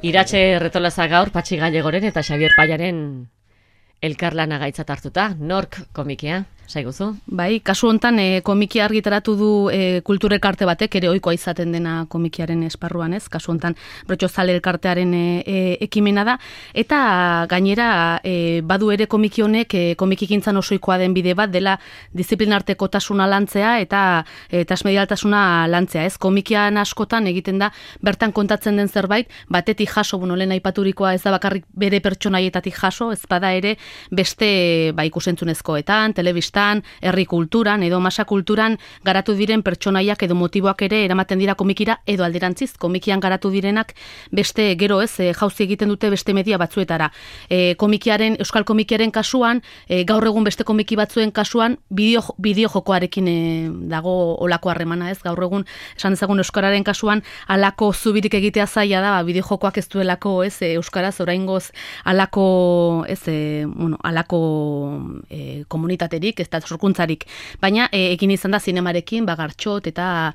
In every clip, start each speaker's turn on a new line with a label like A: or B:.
A: Iratxe Retolaza gaur Patxi Gallegoren eta Xabier Paiaren elkarlana gaitzat hartuta. Nork komikia, saiguzu?
B: Bai, kasu hontan komikia argitaratu du kultura elkarte batek, ere ohikoa izaten dena komikiaren esparruan, ez? Kasu hontan Brotxozale elkartearen ekimena da, eta gainera badu ere komiki honek komikigintzan osoikoa den bide bat dela disiplinartekotasuna lantzea eta transmedialtasuna lantzea, ez? Komikian askotan egiten da bertan kontatzen den zerbait, batetik jaso, lehen aipaturikoa ez da bakarrik bere pertsonaietatik jaso, ez bada ere beste ikusentzunezkoetan, telebistan, herri kulturan edo masa kulturan garatu diren pertsonaiak edo motiboak ere eramaten dira komikira edo alderantziz, komikian garatu direnak beste gero ez, jauzi egiten dute beste media batzuetara. Euskal komikiaren kasuan, gaur egun beste komiki batzuen kasuan, bideo jokoarekin dago olako harremana, ez? Gaur egun, esan dezagun euskararen kasuan, alako zubirik egitea zaila da, bideo jokoak ez duelako, ez, euskaraz oraingoz alako, ez, alako komunitaterik, ez da sorkuntzarik. Baina egin izan da zinemarekin, Gartxot eta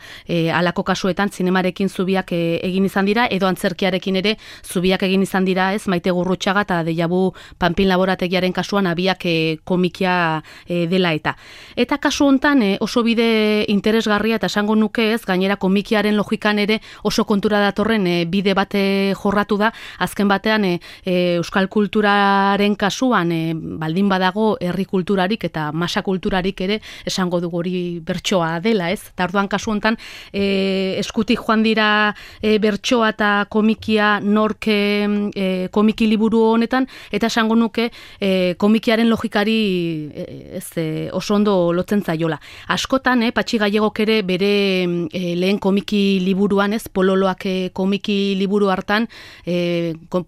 B: alako kasuetan zinemarekin zubiak egin izan dira, edo antzerkiarekin ere zubiak egin izan dira, ez, Maite Gurrutxaga eta Deiabu Panpin laborategiaren kasuan abiak komikia dela eta. Eta kasu hontan oso bide interesgarria eta esango nuke, ez, gainera komikiaren logikan ere oso kontura datorren bide bat jorratu da, azken batean euskal kulturaren kasuan baldin badago herri kulturarik eta masa kulturarik ere esango dugu hori bertsoa dela, ez? Eta orduan kasu hontan eskutik joan dira bertsoa eta komikia nork komiki liburu honetan, eta esango nuke komikiaren logikari oso ondo lotzen zaiola. Askotan, Patxi Gallegok ere bere lehen komiki liburuan, ez, Pololoak komiki liburu hartan,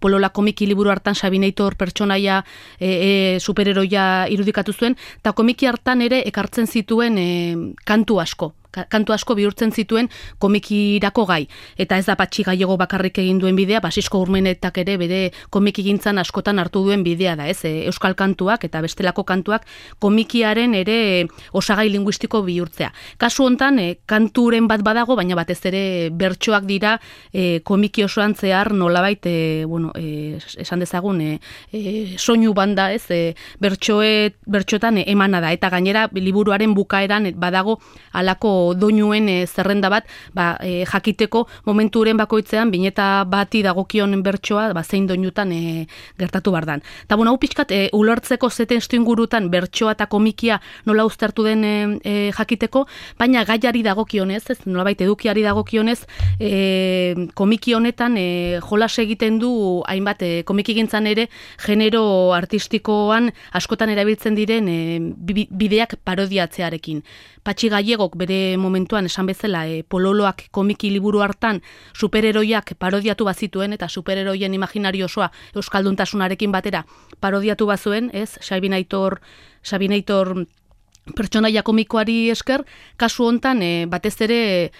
B: Polola komiki liburu hartan Sabineitor pertsonaia superheroia irudikatu zuen, eta komiki hartan ere ekartzen zituen kantu asko bihurtzen zituen komikirako gai. Eta ez da Patxi Gallego bakarrik egin duen bidea, Basisko Urmenetak ere bere komikigintzan askotan hartu duen bidea da, ez? Euskal kantuak eta bestelako kantuak komikiaren ere osagai linguistiko bihurtzea. Kasu hontan kanturen bat badago, baina batez ere bertsoak dira komiki osoan zehar nolabait esan dezagun soinu banda, ez? Bertxoetan emana da, eta gainera liburuaren bukaeran badago alako doinuen zerrenda bat, jakiteko momenturen bakoitzean bineta bati dagokion bertsoa zein doinutan gertatu bardan. Eta hau pixkat ulertzeko zeten ingurutan bertsoa eta komikia nola uztartu den jakiteko, baina gaiari dagokionez, ez, nolabait edukiari dagokionez, komiki honetan jolas egiten du hainbat komikigintzan ere genero artistikoan askotan erabiltzen diren bideak parodiatzearekin. Patxi Gallegok bere momentuan esan bezala Pololoak komiki liburu hartan superheroiak parodiatu bazituen eta superheroien imaginario osoa euskalduntasunarekin batera parodiatu bazuen, ez? Sabineitor pertsonaia komikoari esker, kasu hontan batez ere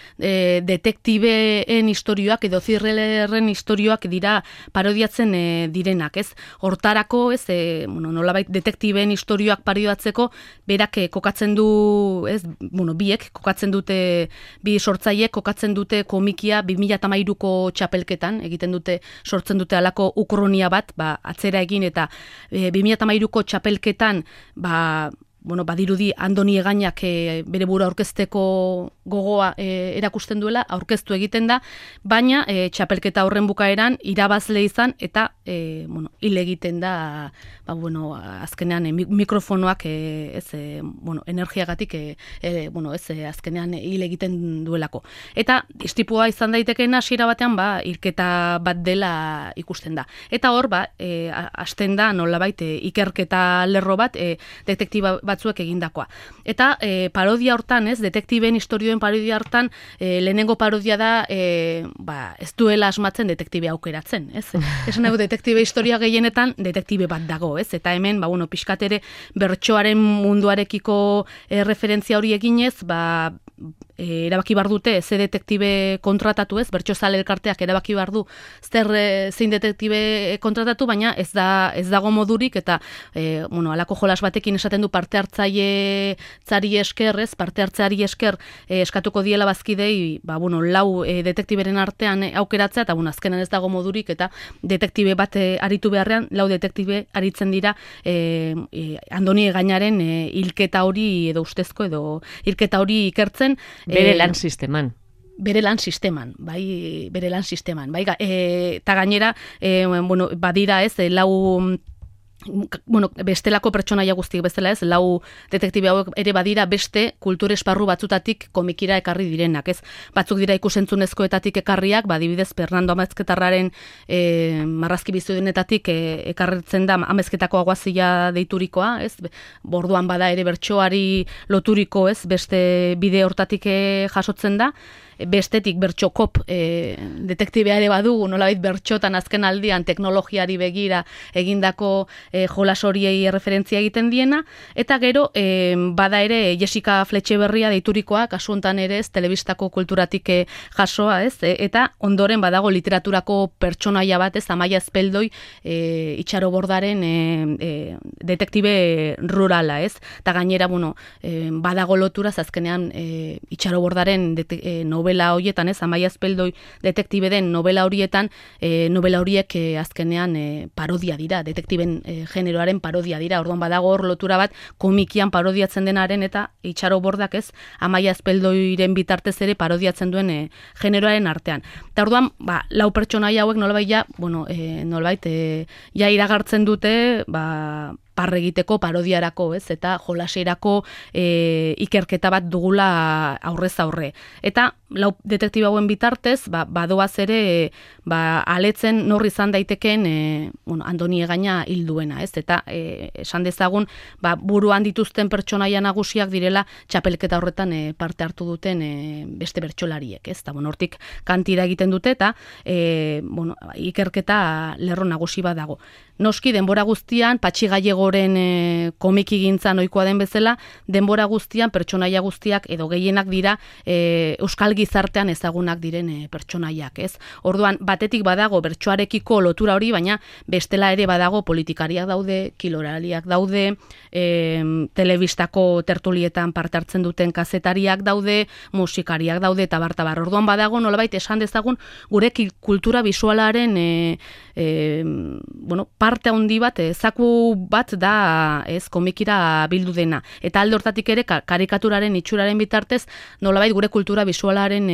B: detektibeen istorioak edo thrillerren istorioak dira parodiatzen direnak, ez? Hortarako, ez, nolabait detektibeen istorioak parodiatzeko berak kokatzen du, ez, biek kokatzen dute, bi sortzaileek kokatzen dute komikia 2013ko txapelketan, sortzen dute alako ukronia bat, atzera egin, eta 2013ko txapelketan, badirudi Andoni Egainak bere burua aurkezteko gogoa erakusten duela, aurkeztu egiten da, baina txapelketa horren bukaeran irabazle izan eta hil egiten da, azkenean mikrofonoak energiagatik azkenean hil egiten duelako. Eta istripua izan daitekeen hasiera batean hilketa bat dela ikusten da. Eta hor hasten da nolabait ikerketa lerro bat detektiba batzuek egindakoa. Eta parodia hortan, ez, detektiben istorioen parodia hortan, lehenengo parodia da ez duela asmatzen detektibe aukeratzen, ez? Esan nahi detektibe historia gehienetan detektibe bat dago, ez? Eta hemen, pixkat ere bertsoaren munduarekiko referentzia hori eginez, erabaki bar dute ze detektibe kontratatu, ez? Bertsozale elkarteak erabaki bar du zein detektibe kontratatu, baina ez dago modurik eta halako jolas batekin esaten du parte hartzailetzari esker, ez? Parte hartzeari esker eskatuko diela bazkidei, lau detektiberen artean aukeratzea eta azkenan ez dago modurik eta detektibe bat aritu beharrean, lau detektibe aritzen dira Andoni Egañaren hilketa hori edo ustezko edo hilketa hori ikertzen.
A: Bere lan sisteman.
B: Bere lan sisteman, eta gainera, badira ez, bestelako pertsonaia guztiek bezala ez, lau detektibe hauek ere badira beste kultur esparru batzutatik komikira ekarri direnak, ez? Batzuk dira ikusentzunezkoetatik ekarriak, adibidez Fernando Amezketarraren marrazki bizudenetatik ekarritzen da Amezketako aguazila deiturikoa, ez? Borduan bada ere bertsoari loturiko, ez? Beste bide hortatik jasotzen da. Bestetik bertxokop detektibea ere badugu, nolabait bertxotan azken aldian teknologiari begira egindako jolas horiei referentzia egiten diena, eta gero bada ere Jessica Fletxeberria deiturikoa, kasu hontan ere ez, telebistako kulturatik jasoa, ez, eta ondoren badago literaturako pertsonaia bat, ez, Amaia Azpeldoi Itxaro Bordaren detektibe rurala, ez, eta gainera, badago loturaz azkenean Itxaro Bordaren novela horietan, ez, Amaia Azpeldoi detektibe den novela horietan, novela horiek azkenean parodia dira, detektiben generoaren parodia dira, orduan badago hor lotura bat komikian parodiatzen denaren eta Itxaro Bordak, ez, Amaia Azpeldoiren bitartez ere parodiatzen duen generoaren artean. Eta orduan, lau pertsonaia hauek nolabait iragartzen dute, parre egiteko parodiarako, ez, eta jolaserako ikerketa bat dugula aurrez aurre. Eta lau detektiba hauen bitartez, badoaz ere aletzen nor izan daiteken Andoni Egaña hilduena, ez, eta esan dezagun buruan dituzten pertsonaia nagusiak direla txapelketa horretan parte hartu duten beste bertsolariek, ez, eta hortik kantira egiten dute, eta ikerketa lerro nagusi bat dago. Noski, denbora guztian, Patxi Gallegoren komikigintza ohikoa den bezala, denbora guztian pertsonaia guztiak edo gehienak dira euskal gizartean ezagunak diren pertsonaiak, ez? Orduan, batetik badago bertsoarekiko lotura hori, baina bestela ere badago politikariak daude, kiloraliak daude, telebistako tertulietan parte hartzen duten kazetariak daude, musikariak daude, eta bartabar. Orduan badago, nolabait esan dezagun, gure kultura bisualaren parte handi bat, zaku bat da ez komikira bildu dena. Eta alde hortatik ere karikaturaren itxuraren bitartez nolabait gure kultura bisualaren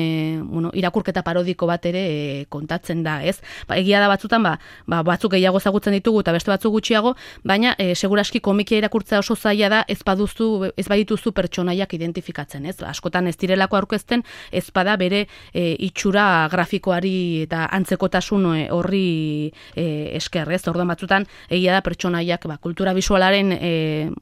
B: irakurketa parodiko bat ere kontatzen da, ez? Egia da batzutan batzuk gehiago ezagutzen ditugu eta beste batzuk gutxiago, baina seguraski komikia irakurtzea oso zaila da ez badituzu pertsonaiak identifikatzen, ez? Askotan ez direlako aurkezten, ez bada bere itxura grafikoari eta antzekotasun horri esker, ez? Orduan batzutan egia da pertsonaiak kultura bisualaren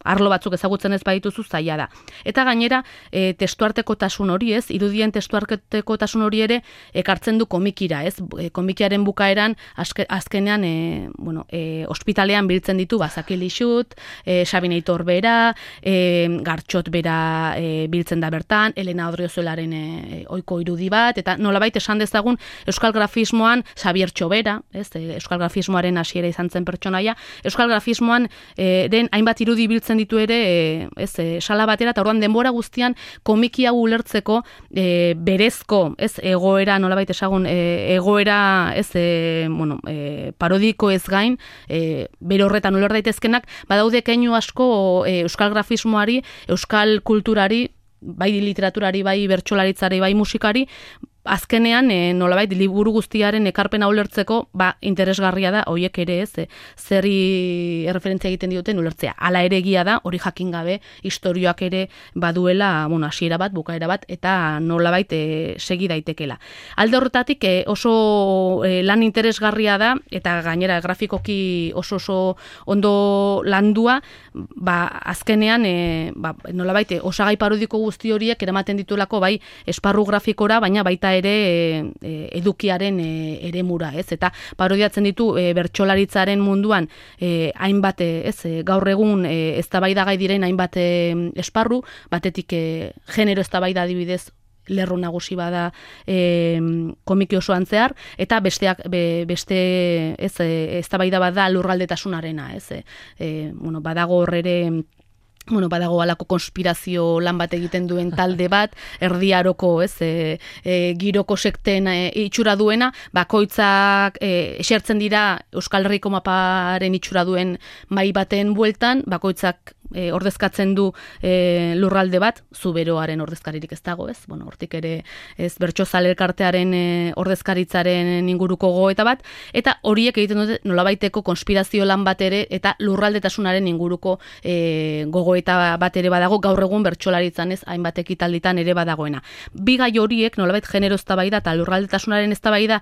B: arlo batzuk ezagutzen ez badituzu zaila da. Eta gainera testuartekotasun hori, ez? Irudien testuartekotasun hori ere ekartzen du komikira, ez? Komikiaren bukaeran azkenean ospitalean biltzen ditu Bazaki Lixut, Sabineitor bera, Gartxot bera biltzen da bertan, Elena Odriozuelaren ohiko irudi bat, eta nolabait esan dezagun euskal grafismoan Xabier Txobera, ez? Euskal grafismoaren hasiera izan zen pertsonaia, euskal grafismoan den hainbat irudi biltzen ditu ere sala batera, eta orduan denbora guztian komiki hau ulertzeko berezko, ez, egoera, nolabait esagun, egoera, ez, parodiko ez gain, bere horretan uler daitezkenak, badaude keinu asko euskal grafismoari, euskal kulturari, bai literaturari, bai bertsolaritzari, bai musikari, azkenean nolabait liburu guztiaren ekarpena ulertzeko interesgarria da hoiek ere, ez, zerri erreferentzia egiten dioten ulertzea. Hala ere egia da, hori jakin gabe istorioak ere baduela, hasiera bat, bukaera bat, eta nolabait segi daitekela. Alde horretatik oso lan interesgarria da, eta gainera grafikoki oso ondo landua, azkenean nolabait osagai parodiko guzti horiek eramaten ditulako bai esparru grafikora, baina baita ere edukiaren eremura, ez? Eta parodiatzen ditu bertsolaritzaren munduan hainbat, gaur egun eztabaidagai diren hainbat esparru, batetik genero eztabaida adibidez lerro nagusi bada komiki osoan zehar, eta beste eztabaida bat da lurraldetasunarena, badago hor ere badago alako konspirazio lan bat egiten duen talde bat, Erdi Aroko, giroko sekten itxura duena, bakoitzak esertzen dira Euskal Herriko maparen itxura duen mai baten bueltan, bakoitzak ordezkatzen du lurralde bat, Zuberoaren ordezkaririk ez dago, hortik ere bertsozale elkartearen ordezkaritzaren inguruko gogoeta bat, eta horiek egiten dute nolabaiteko konspirazio lan bat ere, eta lurraldetasunaren inguruko gogoeta bat ere badago, gaur egun bertsolaritzan hainbat ekitalditan ere badagoena. Bi gai horiek nolabait genero eztabaida eta lurraldetasunaren eztabaida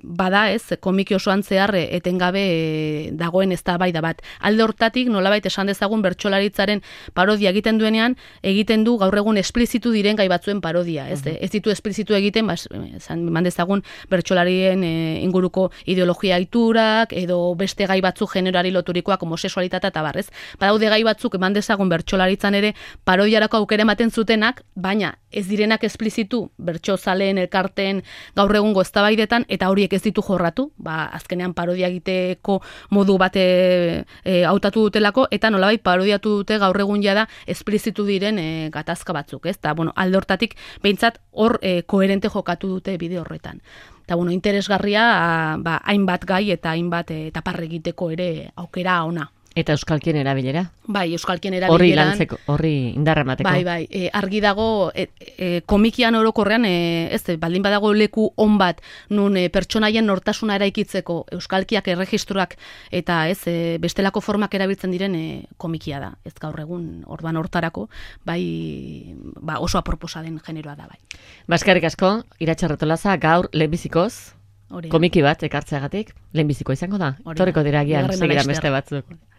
B: bada, komiki osoan zehar etengabe dagoen eztabaida bat. Alde hortatik nolabait esan dezagun bertsolaritzaren parodia egiten duenean, egiten du gaur egun esplizitu diren gai batzuen parodia, ez ditu esplizitu egiten, eman dezagun bertsolarien inguruko ideologia iturak, edo beste gai batzu generoari loturikoak, homosexualitatea eta barrez. Badaude gai batzuk eman dezagun bertsolaritzan ere parodiarako aukera ematen zutenak, baina ez direnak esplizitu bertsozaleen elkarteen gaur egungo eztabaidetan, eta horiek ez ditu jorratu, azkenean parodia egiteko modu bate hautatu dutelako, eta nolabait parodiatu dute gaur egun jada esplizitu diren gatazka batzuk, ez? Eta, alde hortatik, behintzat hor koherente jokatu dute bide horretan. Eta, interesgarria, hainbat gai eta hainbat taparre egiteko ere aukera ona.
A: Eta euskalkien erabilera?
B: Bai, euskalkien erabileran.
A: Horri lantzeko, horri indarra emateko.
B: Bai, argi dago, komikian orokorrean, baldin badago leku on bat, nun pertsonaien nortasuna eraikitzeko euskalkiak erregistroak eta bestelako formak erabiltzen diren komikia da. Ez gaur egun, orduan hortarako, oso aproposa den generoa da, bai.
A: Eskerrik asko, Iratxe Arratolaza, gaur lehenbizikoz, komiki bat ekartzeagatik, lehenbiziko izango da. Torreko dira agian, segidan beste batzuk.